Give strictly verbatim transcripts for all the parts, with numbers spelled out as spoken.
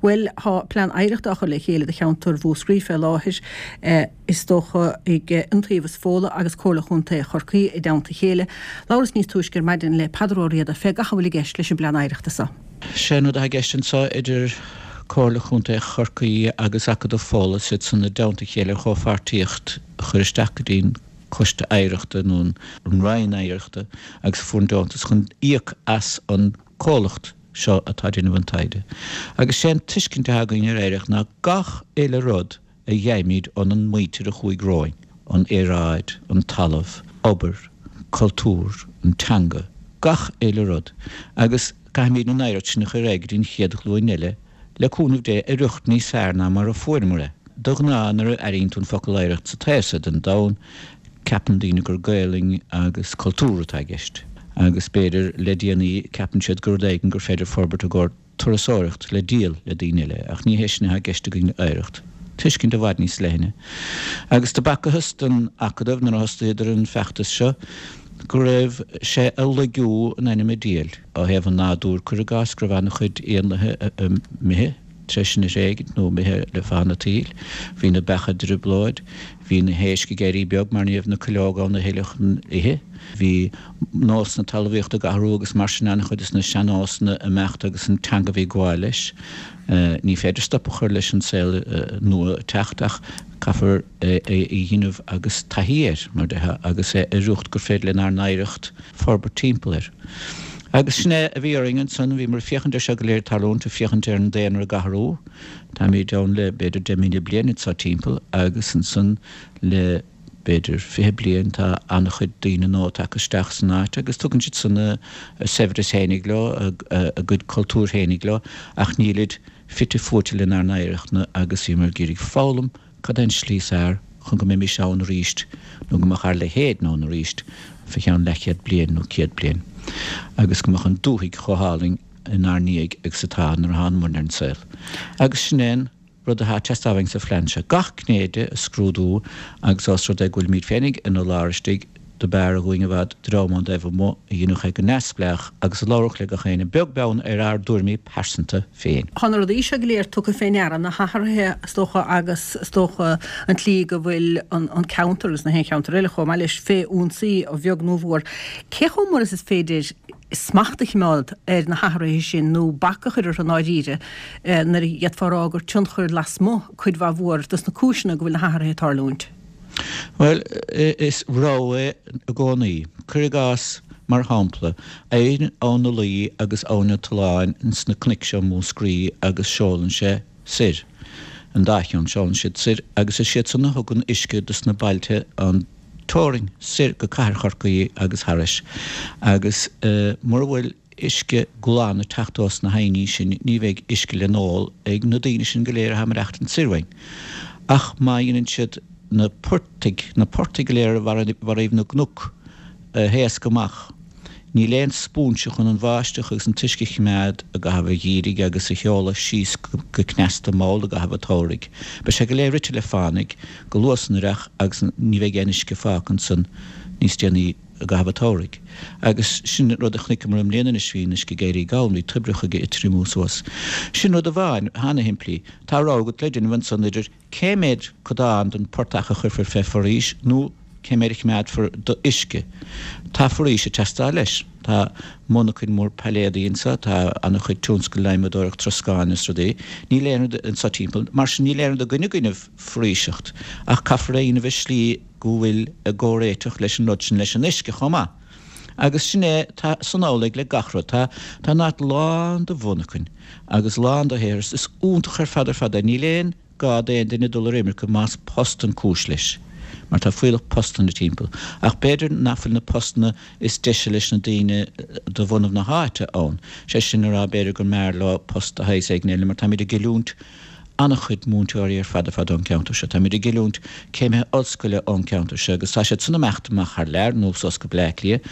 Bhuel, tá plean oidhreachta á chur le chéile do cheantar Mhúscraí fé láthair, is dócha ag Iontaobhas Fódhla agus Comhairle Chontae Chorcaí i dteannta a chéile. Labhras níos túisce ar maidin le Peadar Ó Riada fé gach a bhfuil i gceist leis an bplean oidhreachta seo. Sé an rud atá i gceist anseo idir Comhairle Chontae Chorcaí agus Acadamh Fódhla, siad san i dteannta a chéile ar chomhpháirtíocht a chur isteach go dtí'n Coiste Oidhreachta nó an Roinn Oidhreachta agus a fuair an deontas chun íoc as an comhlacht seo atá ag déanamh an taighde. Agus sé an tuiscint atá againn ar oidhreacht ná gach uile rud a gheibhimid ón muintir a chuaigh romhainn, an aeráid, an talamh, obair, cultúr, an teanga, gach uile rud. Agus caithfimid an oidhreacht sin a chur ar aghaidh go dtí an chéad ghlúin eile, le cúnamh Dé, i riocht níos fearr ná mar a fuaireamar é. De ghnáth nuair a airíonn tú an focal oidhreacht sa taobh seo den domhan, ceapann daoine gur Gaelainn agus cultúr atá i gceist. Agus b'fhéidir le déanaí ceapann siad gur rud éigin gur féidir forbairt i gcomhair turasóireacht le díol le daoine eile, ach ní hé sin atá i gceist againn le oidhreacht. Tuiscint i bhfad níos leithne. Agus do b'fhacthas don Acadamh nuair a thosaíodar an feachtas seo go raibh sé ag laigiú in ainm an diabhail. Ó thaobh an nádúir, cuir i gcás, go raibh an-chuid éanlaithe imithe tar éis sinn a thréigint nó imithe le fad an tsaoil. Bhí na beacha i dtrioblóid, bhí na héisc ag éirí beag mar ní raibh na cuileoga ann a thuilleadh chun ithe, bhí nósanna talmhaíochta ag athrú agus mar sin an-chuid de na sean-nósanna ag imeacht agus an teanga a bhí ag gabháil leis. Ní féidir stop a chur leis an saol nua ag teacht ach caithfear é a dhéanamh agus taithí air, mar déarfá, agus é i riocht gur féidir lenár n-oidhreacht forbairt timpeall air. Agus sin é a bhí orainn ansan, bhíomar ag féachaint air seo go léir ag tarlúint, ag féachaint ar an daonra ag athrú, táimid ann le b'fhéidir deich míle bliain anseo timpeall agus ansan le b'fhéidir fiche bliain tá an-chuid daoine nua tagtha isteach san áit agus tugann siad san a saibhreas fhéinig leo, a gcuid cultúir fhéinig leo ach nílid fite fuaite lenár n-oidhreacht-na agus bhíomar ag iarraidh foghlaim cad é an tslí is fearr chun go mbeimis ann arís nó go mbeadh ár leithéid ann arís fé cheann leathchéad bliain nó céad bliain agus go mbeadh an dúthaigh chomh hálainn inár ndiaidh agus atá nuair a tháinig muid ar an saol. Agus sin é an rud atá ag teastáil uainn sa phlean seo, gach gné de a scrúdú agus ós rud é go bhfuilimid féinig ina lár istigh, do b'fhearr dhúinn i bhfad dream ón dtaobh amuigh a dhéanfadh é go neamhspleách agus a labharfadh le gach éinne, beag beann ar ár dtuairimí pearsanta féin. Tá na rudaí seo go léir tugtha fé ndeara, na hathruithe is dócha agus is dócha an tslí go bhfuil an ceantar agus na haon cheantar eile chomh maith leis fé ionsaí a bheag nó a mhór. Cé chomh mór is is féidir smacht a choimeád ar na hathruithe sin nó bac a chur orthu i ndáiríre nuair a d'fhéadfá a rá gur tionchar lasmuigh cuid mhaith mhór dos na cúiseanna go bhfuil na hathruithe ag tarlúint? Bhuel, is rogha é i gcónaí. Cuir i gcás, mar shampla, éiríonn Abhainn na Laoi agus Abhainn an tSuláin ins na cnoic seo Mhúscraí agus seolann sé soir, an dá cheann, seolann siad soir agus is iad san a thugann uisce dos na bailte an teorainn soir go Cathair Chorcaí agus thairis. Agus mura bhfuil uisce glan ag teacht ós na haibhní sin ní bheidh uisce le n-ól ag na daoine sin go léir atá ag maireachtaint soir uainn. Ach má dhéanann siad na portaigh, na portaigh go léir bharraíbh na gcnoc a thaoscadh amach, níl aon spúinse chun an bháisteach agus an t-uisce a chimeád i gcaitheamh an gheimhridh agus a sheoladh síos go cneasta mall i gcaitheamh an tsamhraidh. Beidh sé go léir rite le fánaidh go luath san earrach agus ní bheidh aon uisce fágtha ansan níos déanaí i gcaitheamh an tsamhraidh. Agus sin rud a chonaiceamar i mbliana anois, bhí an uisce ag éirí gann, bhí toibreacha ag triomú suas. Sin rud amháin, ana-shimplí. Tá rogha agat le déanamh ansan idir cé mhéad codán den portach a chuirfear fé foraois nó cé mhéad a choimeádfar d'uisce. Tá foraois ag teastáil leis. Tá monarchain mór pailléadaí anso, tá ana-chuid tionscal adhmadóireacht troscáin is rudaí. Níl aon rud anso timpeall. Mar sin níl aon rud i gcoinne againn foraoiseacht ach caithfear é a dhéanamh i slí go bhfuil i gcomhréiteach leis an rud sin, leis an uisce chomh maith. Agus sin é, tá san amhlaidh le gach rud. Tá, tá an áit lán de mhonarchain agus lán de shaothar. Is iontach ar fad ar fad é. Níl aon gá d'aon duine dul ar imirce más post an cúis leis, mar tá fuílleach postanna timpeall. Ach b'fhéidir nach bhfuil na postanna is deise leis na daoine de bhunadh na háite ann. Sé sin a rá, b'fhéidir go mb'fhearr leo post de shaghas éigin eile, mar táimid ag oiliúint an-chuid múinteoirí ar fad ar fad ón gceantar seo. Táimid ag oiliúint céimithe ollscoile ón gceantar seo agus tá siad san ag imeacht amach thar lear nó suas go Bleá Cliath,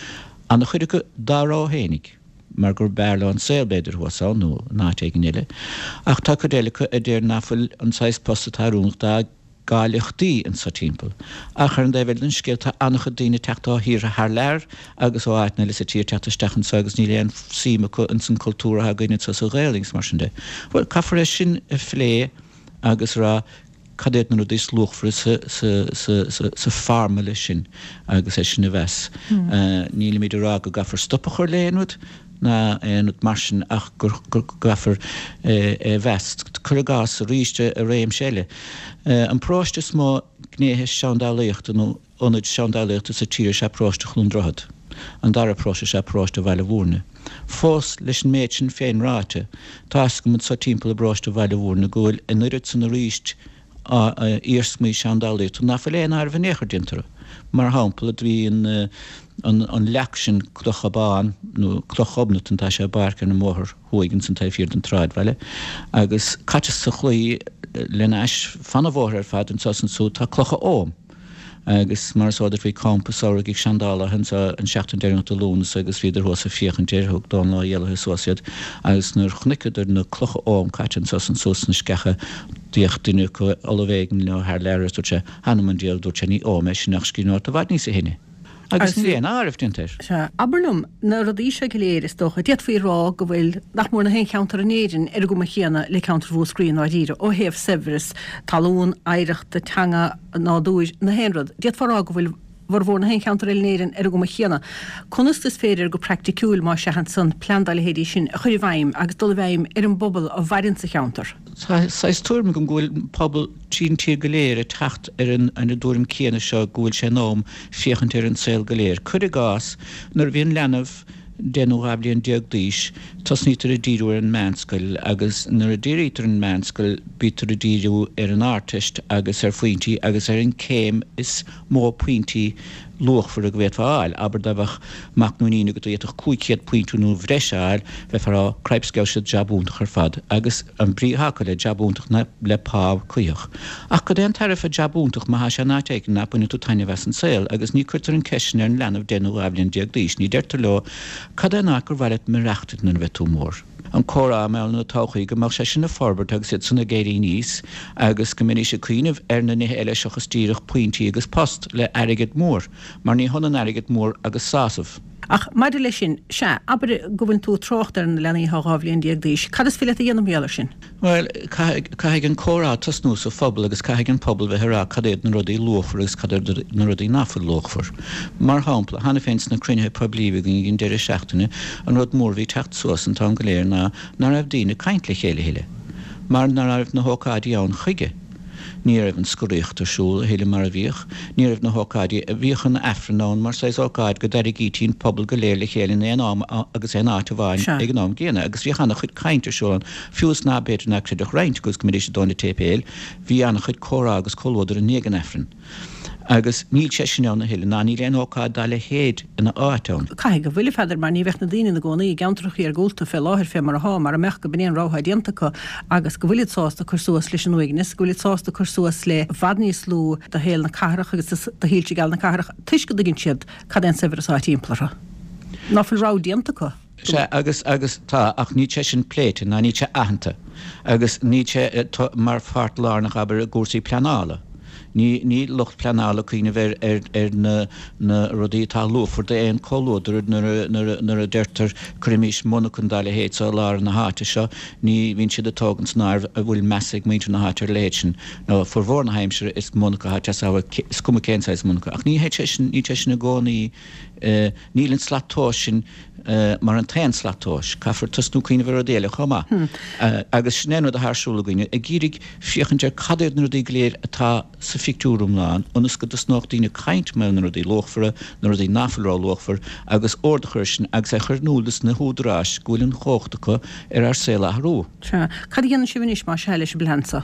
an-chuid acu dá rogha fhéinig, mar gur b'fhearr leo an saol b'fhéidir thuas ann nó in áit éigin eile. Ach tá cuid eile acu a deir nach bhfuil an saghas post atá oiriúnach dá gcáilíochtaí anso timpeall. Ach ar an dtaobh eile den scéal tá an-chuid daoine ag teacht ó thíortha thar lear agus ó áiteanna eile sa tír teacht isteach anso agus níl aon suim acu ins an cultúr atá againn anso sa Ghaelainn is mar sin de. Bhuel, caithfear é sin a phlé agus a rá cad iad na rudaí is luachmhaire sa, sa, sa, sa, sa foirmle sin agus é sin a mheas. Nílimid ag rá go gcaithfear stop a chur le haon rud ná aon rud mar sin ach go gcaithfear é a mheas. Cuir i gcás arís i réimse eile. An paróiste is mó gnéithe seandálaíochta nó ionaid seandálaíochta sa tír is ea paróiste Chluain Droichead. An dara paróiste is ea paróiste Bhaile Mhúirne. Fós leis an méid sin féin ráite, tá fhios agam anso timpeall i bparóiste Bhaile Mhúirne go bhfuil an oiread san arís iarsmaí seandálaíochta ná fuil aon áireamh in aon chor déanta orthu. Mar shampla, bhí an an leac sin Cloch Abán nó Cloch Ghobnatan, tá sé i bpáirc ar an mbóthar thuaidh ins an taobh thiar den tsráidbhaile, agus caite sa chlaí lena ais fan an bhóthair ar fad anso is ansúd tá clocha Oghaim. Agus mar is eol duit bhí campa samhraidh ag seandálaithe anso an seachtain deireanach de Lúnasa agus bhíodar thuas ag féachaint air, thug Dónal Ó hÉallaithe suas iad agus nuair chonaiceadar na clocha Oghaim caite anso is ansúd sna sceacha d'fhéach duine acu, ollamh éigin leo thar lear agus dúirt sé, Th'anam 'on diabhal, dúirt sé, ní Ogham é sin ach scríbhneoireacht i bhfad níosa shine. Agus níl aon áireamh déanta air. Sea. Abair liom, na rudaí seo go léir, is dócha, d'fhéadfaí a rá go bhfuil nach mór na haon cheantar in Éirinn ar an gcuma chéanna le ceantar Mhúscraí i ndáiríre, ó thaobh saibhreas talún, oidhreachta, teanga, nádúir, na haon rud. D'fhéadfá a rá go bhfuil bhformhór na haon cheantar eile in Éirinn ar an gcuma chéanna. Conas is féidir go praiticiúil, más ea ansan, plean dá leithéidí sin a chur i bhfeidhm agus dul i bhfeidhm ar an bpobal a mhaireann sa cheantar? Tá saghas tuairim agam go bhfuil pobal tríd an tír go léir ag teacht ar an an dtuairim céanna seo go bhfuil sé in am féachaint ar an saol go léir. Cuir i gcás, nuair a bhíonn leanbh deich nó dhá bhliain déag d'aois, tosnaítear ag díriú ar an meánscoil agus nuair a dírítear ar an meánscoil bítear ag díriú ar an Ardteist agus ar phointí agus ar an céim is mó pointí luachmhara go bhféadfá a fháil. Abair dá mbeadh mac nó iníon agat a d'fhéadfadh cúig chéad pointe nó bhreis a fháil, bheifeá a rá, Cripes gheobhaidh siad jab iontach ar fad. Agus an brí atá acu le jab iontach ná le pá cuíosach. Ach cad é an tairbhe jab iontach má thá sé in áit éigin ná baineann tú taitneamh as an saol? Agus ní cuirtear an ceist sin ar an leanbh deich nó dhá bhliain déag d'aois. Ní deirtear leo, Cad é an áit gur mhaith leat maireachtaint nuair a bheidh tú mór? an comhrá i mbealach na todhchaí, go mbeadh sé sin ag forbairt agus iad san ag éirí aníos agus go mbeidís ag cuimhneamh ar na nithe eile seachas díreach pointí agus post le airgead mór, mar ní hionann airgead mór agus sásamh. Ach maidir leis sin, sea, abair go bhfuil tú ag trácht ar na leanaí atá dhá bhliain déag d'aois, cad is féidir leat a dhéanamh mar gheall air sin? Bhuel, caithfidh, caithfidh an comhrá tosnú sa phobal agus caithfidh an pobal bheith ag rá cad iad na rudaí luachmhara agus cad iad na rudaí ná fuil luachmhar. Mar shampla, cheana féin sna cruinnithe poiblí a bhí againn ag an deireadh seachtaine, an rud mór a bhí ag teacht suas an t-am go léir ná ná raibh daoine ag caint le chéile a thuilleadh, mar ná raibh na hócáidí ann chuige. Ní raibh an scoraíocht ar siúl a thuilleadh mar a bhíodh. Ní raibh na hócáidí a bhíodh an Aifreann ann mar saghas ócáid go dtarraingítí an pobal go léir le chéile in aon am agus aon áit amháin Sea. ag an am gcéanna agus bhíodh an-chuid caint ar siúl ann, fiú is ná b'fhéidir ná creidfeadh roinnt acu agus go mbeidís ag dó na séipéil, bhí an-chuid comhrá agus comhluadar i ndiaidh an Aifrinn. Agus níl sé sin ann a thuilleadh, ná níl aon ócáid dá leithéid ina áit ann. Caithfidh go bhfuil, a Pheadair, mar ní bheadh na daoine ina gcónaí i gceantracha iargúlta fé láthair fé mar athá, mara mbeadh go b'in é an rogha atá déanta acu agus go bhfuilid sásta cur suas leis an uaigneas, go bhfuilid sásta cur suas le i bhfad níos lú de shaol na cathrach agus de shoilse geala na cathrach toisc go dtuigeann siad cad é an saibhreas atá timpeall orthu. Ná fuil rogha déanta acu. Sea, agus, agus tá, ach níl sé sin pléite ná níl sé aitheanta agus níl sé mar pháirt lárnach, abair, i gcúrsaí pleanála. Ní, níl lucht pleanála ag cuimhneamh ar, ar, ar na, na rudaí atá luachmhar d'aon chomhluadar nuair a, nuair a, nuair a deirtear cuirimís monarchan dá leithéid so i lár na háite seo, ní bhíonn siad ag tógaint san áireamh an bhfuil meas ag muintir na háite ar a leithéid sin. Nó formhór na haimsire is monarcha atá ag teastáil, is cuma cén saghas monarcha. Ach ní hé sé sin, níl sé sin i gcónaí, níl an slat tomhais sin mar an t-aon slat tomhais. Caithfear tosnú cuimhneamh ar rudaí eile chomh maith. Agus sin é an rud atá ar siúl againne, ag iarraidh féachaint ar cad iad na rudaí go léir atá sa phictiúr iomlán, ionas go dtosnódh daoine ag caint mar na rudaí luachmhara, na rudaí ná fuil ró-luachmhar, agus ord a chur air sin agus é a chur in iúl dos na húdaráis go bhfuil an chumhacht acu ar ár saol a athrú. Sea. Cad a dhéanann sibh anois, más ea, leis an bplean so?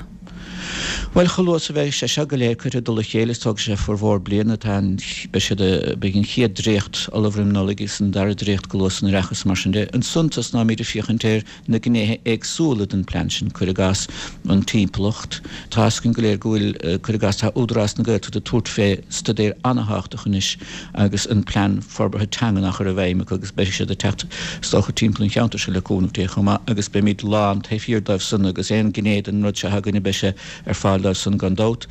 Bhuel, chomh luath is a bheidh sé seo go léir curtha i dtoll a chéile, is tógfaidh sé formhór bliana, tá an, beidh siad, beidh an chéad dréacht ullamh roim Nollaig agus an dara dréacht go luath san Oireachtas mar sin de. Ansan tosnóimid ag féachaint ar na gnéithe éagsúla den plean sin, cuir i gcás an timpeallacht. Tá fhios againn go léir go bhfuil, cuir i gcás, tá Údarás na Gaeltachta ag tabhairt fé staidéar an-thábhachtach anois agus an plean forbartha teangan á chur i bhfeidhm acu agus beidh siad ag teacht is dócha timpeall an cheantair seo le cúnamh Dé chomh maith agus beimid lán taobh thiar dóibh san agus aon ghné den rud seo againne beidh sé ar fáil fáil dó san gan dabht.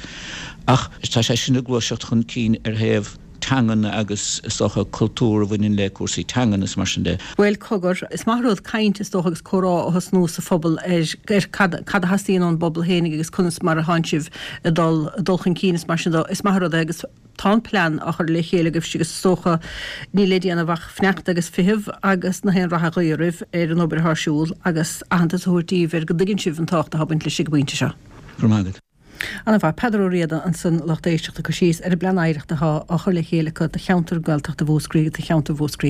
Ach tá sé sin ag gluaiseacht chun cinn ar thaobh teangan agus is dócha cultúr a bhaineann le cúrsaí teangan is mar sin de. Bhuel cogar, is maith rud caint is dócha agus comhrá a thosnú sa phobal ar ar cad cad a theastaíonn ón bpobal féinig agus conas mar atánn sibh ag dul dul chun cinn is mar sin de. Is maith rud é agus tá an plean á chur le chéile agaibhse agus is dócha níl le déanamh ach fanacht agus feitheamh agus na haon rath a ghuí oraibh ar an obair atá ar siúl agus aitheantas a thabhairt daoibh ar go dtuigeann sibh an tábhacht atá ag baint leis ag an bpointe seo. Go raibh maith agat. An-mhaith. Peadar Ó Riada ansan lucht éisteachta ag cur síos ar an bplean oidhreachta atá á chur le chéile acu do cheantar Gaeltachta Mhúscraí, do cheantar Mhúscraí.